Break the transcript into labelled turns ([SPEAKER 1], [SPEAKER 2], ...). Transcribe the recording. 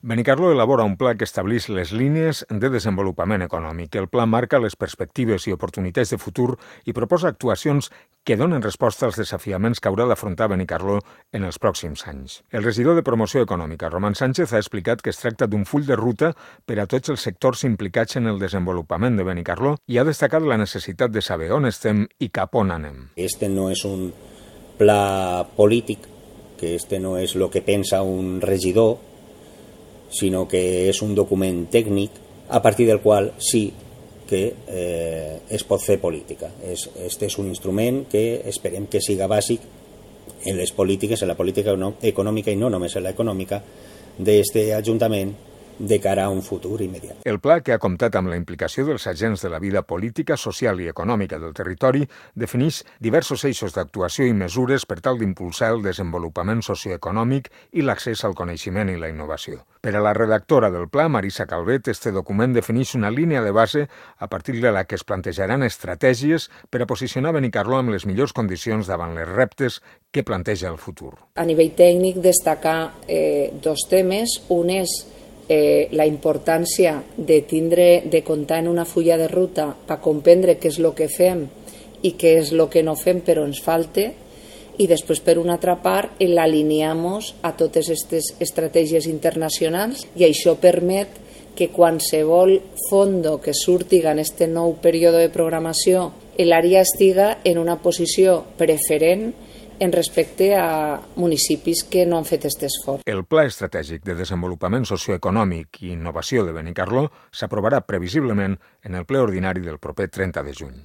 [SPEAKER 1] Benicarló elabora un pla que estableix les línies de desenvolupament econòmic. El pla marca les perspectives i oportunitats de futur i proposa actuacions que donen resposta als desafiaments que haurà d'afrontar Benicarló en els pròxims anys. El regidor de Promoció Econòmica, Roman Sánchez, ha explicat que es tracta d'un full de ruta per a tots els sectors implicats en el desenvolupament de Benicarló i ha destacat la necessitat de saber on estem i cap on anem.
[SPEAKER 2] Este no és un pla polític, que este no és el que pensa un regidor, sinó que és un document tècnic a partir del qual sí que es pot fer política. Este és un instrument que esperem que siga bàsic en les polítiques, en la política econòmica i no només en l'econòmica d'aquest Ajuntament de cara a un futur immediat.
[SPEAKER 1] El pla, que ha comptat amb la implicació dels agents de la vida política, social i econòmica del territori, defineix diversos eixos d'actuació i mesures per tal d'impulsar el desenvolupament socioeconòmic i l'accés al coneixement i la innovació. Per a la redactora del pla, Marisa Calvet, este document defineix una línia de base a partir de la que es plantejaran estratègies per a posicionar Benicarló amb les millors condicions davant les reptes que planteja el futur.
[SPEAKER 3] A nivell tècnic, destacar dos temes. Un és la importància de comptar en una fulla de ruta per comprendre què és el que fem i què és el que no fem però ens falta, i després, per una altra part, l'alineamos a totes aquestes estratègies internacionals, i això permet que qualsevol fondo que surti en aquest nou període de programació, l'àrea estiga en una posició preferent en respecte a municipis que no han fet aquest esforç.
[SPEAKER 1] El Pla Estratègic de Desenvolupament Socioeconòmic i Innovació de Benicarló s'aprovarà previsiblement en el ple ordinari del proper 30 de juny.